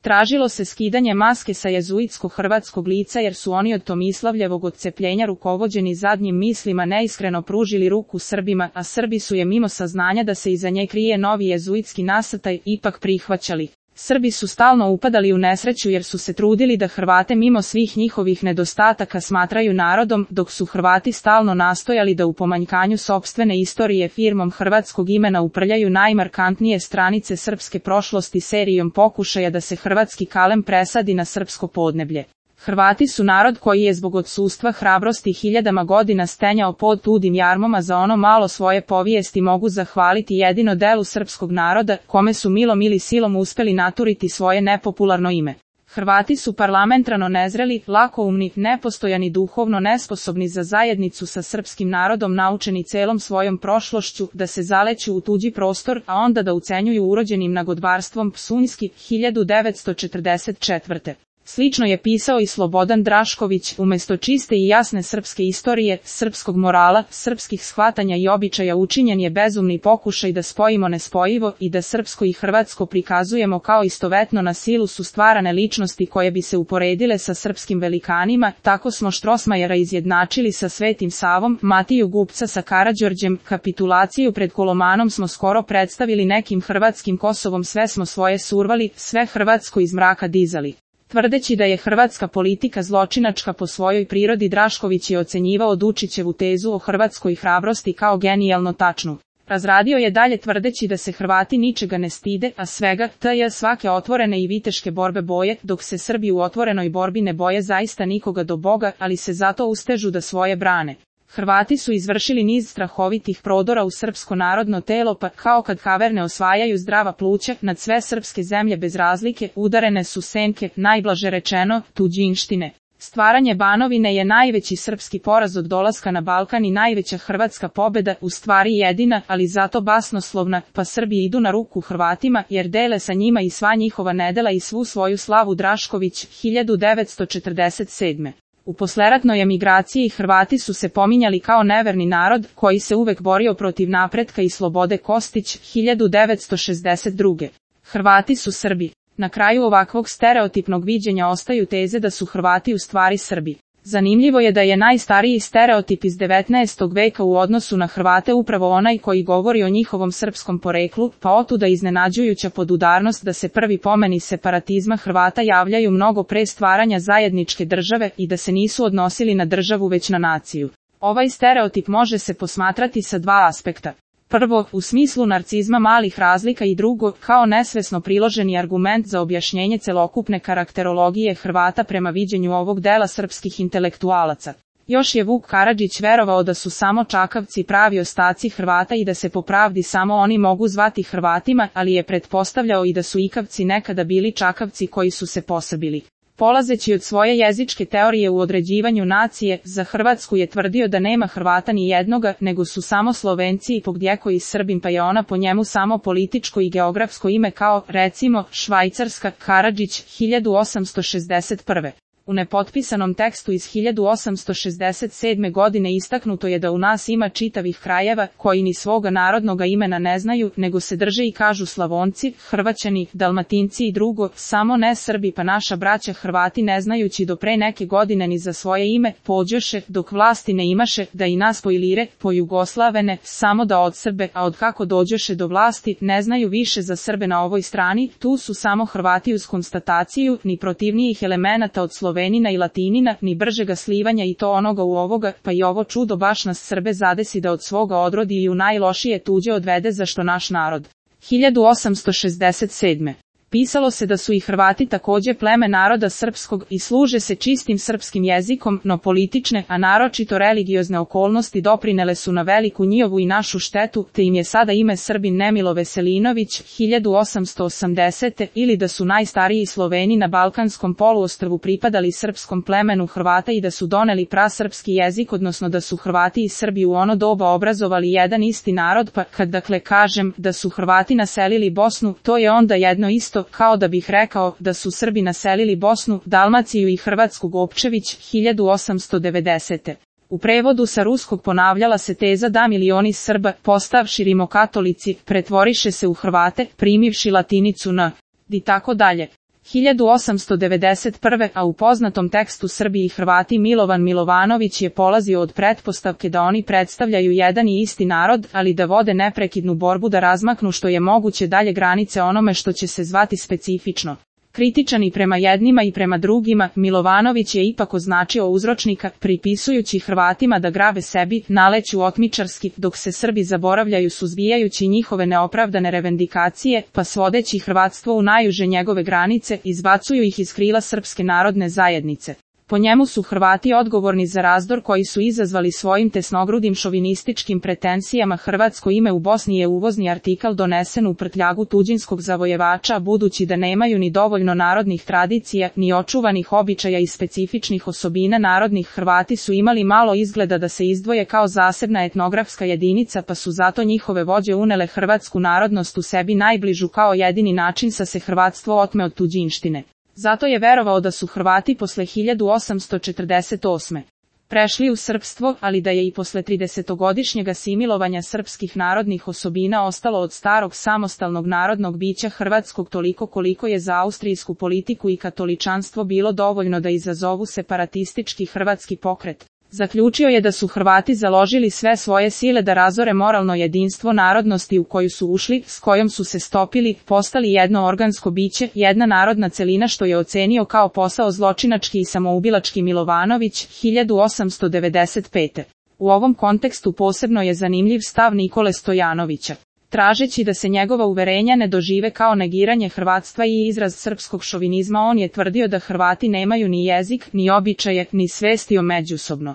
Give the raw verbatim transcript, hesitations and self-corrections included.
Tražilo se skidanje maske sa jezuitsko-hrvatskog lica jer su oni od Tomislavljevog odcepljenja rukovođeni zadnjim mislima neiskreno pružili ruku Srbima, a Srbi su je mimo saznanja da se iza nje krije novi jezuitski nasrtaj ipak prihvaćali. Srbi su stalno upadali u nesreću jer su se trudili da Hrvate mimo svih njihovih nedostataka smatraju narodom, dok su Hrvati stalno nastojali da u pomanjkanju sopstvene istorije firmom hrvatskog imena uprljaju najmarkantnije stranice srpske prošlosti serijom pokušaja da se hrvatski kalem presadi na srpsko podneblje. Hrvati su narod koji je zbog odsustva hrabrosti hiljadama godina stenjao pod tudim jarmom, a za ono malo svoje povijesti mogu zahvaliti jedino delu srpskog naroda, kome su milom ili silom uspeli naturiti svoje nepopularno ime. Hrvati su parlamentarno nezreli, lakoumni, nepostojani, duhovno nesposobni za zajednicu sa srpskim narodom, naučeni celom svojom prošlošću da se zaleću u tuđi prostor, a onda da ucenjuju urođenim nagodbarstvom Psunjski, hiljadu devetsto četrdeset četvrte. Slično je pisao i Slobodan Drašković, umjesto čiste i jasne srpske istorije, srpskog morala, srpskih shvatanja i običaja učinjen je bezumni pokušaj da spojimo nespojivo i da srpsko i hrvatsko prikazujemo kao istovetno na silu su stvarane ličnosti koje bi se uporedile sa srpskim velikanima. Tako smo Štrosmajera izjednačili sa Svetim Savom, Matiju Gupca sa Karađorđem, kapitulaciju pred Kolomanom smo skoro predstavili nekim hrvatskim Kosovom, sve smo svoje survali, sve hrvatsko iz mraka dizali. Tvrdeći da je hrvatska politika zločinačka po svojoj prirodi, Drašković je ocenjivao Dučićevu tezu o hrvatskoj hrabrosti kao genijalno tačnu. Razradio je dalje tvrdeći da se Hrvati ničega ne stide, a svega, tj. svake otvorene i viteške borbe boje, dok se Srbi u otvorenoj borbi ne boje zaista nikoga do Boga, ali se zato ustežu da svoje brane. Hrvati su izvršili niz strahovitih prodora u srpsko narodno telo, pa kao kad kaverne osvajaju zdrava pluća, nad sve srpske zemlje bez razlike udarene su senke, najblaže rečeno, tuđinštine. Stvaranje Banovine je najveći srpski poraz od dolaska na Balkan i najveća hrvatska pobeda, u stvari jedina, ali zato basnoslovna, pa Srbi idu na ruku Hrvatima jer dele sa njima i sva njihova nedela i svu svoju slavu. Drašković, hiljadu devetsto četrdeset sedme. U posleratnoj emigraciji Hrvati su se pominjali kao neverni narod koji se uvek borio protiv napretka i slobode. Kostić, hiljadu devetsto šezdeset druge. Hrvati su Srbi. Na kraju ovakvog stereotipnog viđenja ostaju teze da su Hrvati u stvari Srbi. Zanimljivo je da je najstariji stereotip iz devetnaestog veka u odnosu na Hrvate upravo onaj koji govori o njihovom srpskom poreklu, pa otuda iznenađujuća podudarnost da se prvi pomeni separatizma Hrvata javljaju mnogo pre stvaranja zajedničke države i da se nisu odnosili na državu već na naciju. Ovaj stereotip može se posmatrati sa dva aspekta. Prvo, u smislu narcizma malih razlika i drugo, kao nesvesno priloženi argument za objašnjenje celokupne karakterologije Hrvata prema viđenju ovog dela srpskih intelektualaca. Još je Vuk Karadžić verovao da su samo Čakavci pravi ostaci Hrvata i da se po pravdi samo oni mogu zvati Hrvatima, ali je pretpostavljao i da su Ikavci nekada bili Čakavci koji su se posebili. Polazeći od svoje jezičke teorije u određivanju nacije, za Hrvatsku je tvrdio da nema Hrvata ni jednoga, nego su samo Slovenci i pogdjeko i Srbin, pa je ona po njemu samo političko i geografsko ime kao, recimo, Švajcarska. Karadžić, hiljadu osamsto šezdeset prve. U nepotpisanom tekstu iz hiljadu osamsto šezdeset sedme. godine istaknuto je da u nas ima čitavih krajeva koji ni svoga narodnoga imena ne znaju, nego se drže i kažu Slavonci, Hrvaćani, Dalmatinci i drugo, samo ne Srbi, pa naša braća Hrvati ne znajući do pre neke godine ni za svoje ime, pođoše, dok vlasti ne imaše, da i nas pojlire, pojugoslavene, samo da od Srbe, a od kako dođoše do vlasti, ne znaju više za Srbe na ovoj strani, tu su samo Hrvati uz konstataciju, ni protivnijih elemenata od Slovenina i Latinina, ni bržega slivanja i to onoga u ovoga, pa i ovo čudo baš nas Srbe zadesi da od svoga odrodi i u najlošije tuđe odvede, zašto naš narod. hiljadu osamsto šezdeset sedme. Pisalo se da su i Hrvati takođe pleme naroda srpskog i služe se čistim srpskim jezikom, no politične, a naročito religiozne okolnosti doprinele su na veliku njihovu i našu štetu, te im je sada ime Srbin Nemilo Veselinović, hiljadu osamsto osamdesete. ili da su najstariji Sloveni na Balkanskom poluostrvu pripadali srpskom plemenu Hrvata i da su doneli prasrpski jezik, odnosno da su Hrvati i Srbi u ono doba obrazovali jedan isti narod, pa kad dakle kažem da su Hrvati naselili Bosnu, to je onda jedno isto, kao da bih rekao da su Srbi naselili Bosnu, Dalmaciju i Hrvatsku. Gopčević, hiljadu osamsto devedesete. U prevodu sa ruskog ponavljala se teza da milioni Srba, postavši rimokatolici, pretvoriše se u Hrvate, primivši latinicu n. i tako dalje. hiljadu osamsto devedeset prve. a u poznatom tekstu Srbi i Hrvati Milovan Milovanović je polazio od pretpostavke da oni predstavljaju jedan i isti narod, ali da vode neprekidnu borbu da razmaknu što je moguće dalje granice onome što će se zvati specifično. Kritičan i prema jednima i prema drugima, Milovanović je ipak označio uzročnika, pripisujući Hrvatima da grave sebi, naleću otmičarski, dok se Srbi zaboravljaju suzbijajući njihove neopravdane revendikacije, pa svodeći hrvatstvo u najuže njegove granice, izbacuju ih iz krila Srpske narodne zajednice. Po njemu su Hrvati odgovorni za razdor koji su izazvali svojim tesnogrudim šovinističkim pretenzijama. Hrvatsko ime u Bosni je uvozni artikal donesen u prtljagu tuđinskog zavojevača, budući da nemaju ni dovoljno narodnih tradicija, ni očuvanih običaja i specifičnih osobina narodnih. Hrvati su imali malo izgleda da se izdvoje kao zasebna etnografska jedinica, pa su zato njihove vođe unele hrvatsku narodnost u sebi najbližu kao jedini način sa se hrvatstvo otme od tuđinštine. Zato je verovao da su Hrvati posle hiljadu osamsto četrdeset osme. prešli u srpstvo, ali da je i posle tridesetogodišnjeg asimilovanja srpskih narodnih osobina ostalo od starog samostalnog narodnog bića hrvatskog toliko koliko je za austrijsku politiku i katoličanstvo bilo dovoljno da izazovu separatistički hrvatski pokret. Zaključio je da su Hrvati založili sve svoje sile da razore moralno jedinstvo narodnosti u koju su ušli, s kojom su se stopili, postali jedno organsko biće, jedna narodna celina, što je ocenio kao posao zločinački i samoubilački Milovanović, hiljadu osamsto devedeset pete. U ovom kontekstu posebno je zanimljiv stav Nikole Stojanovića. Tražeći da se njegova uverenja ne dožive kao negiranje hrvatstva i izraz srpskog šovinizma, on je tvrdio da Hrvati nemaju ni jezik, ni običaje, ni svesti o međusobno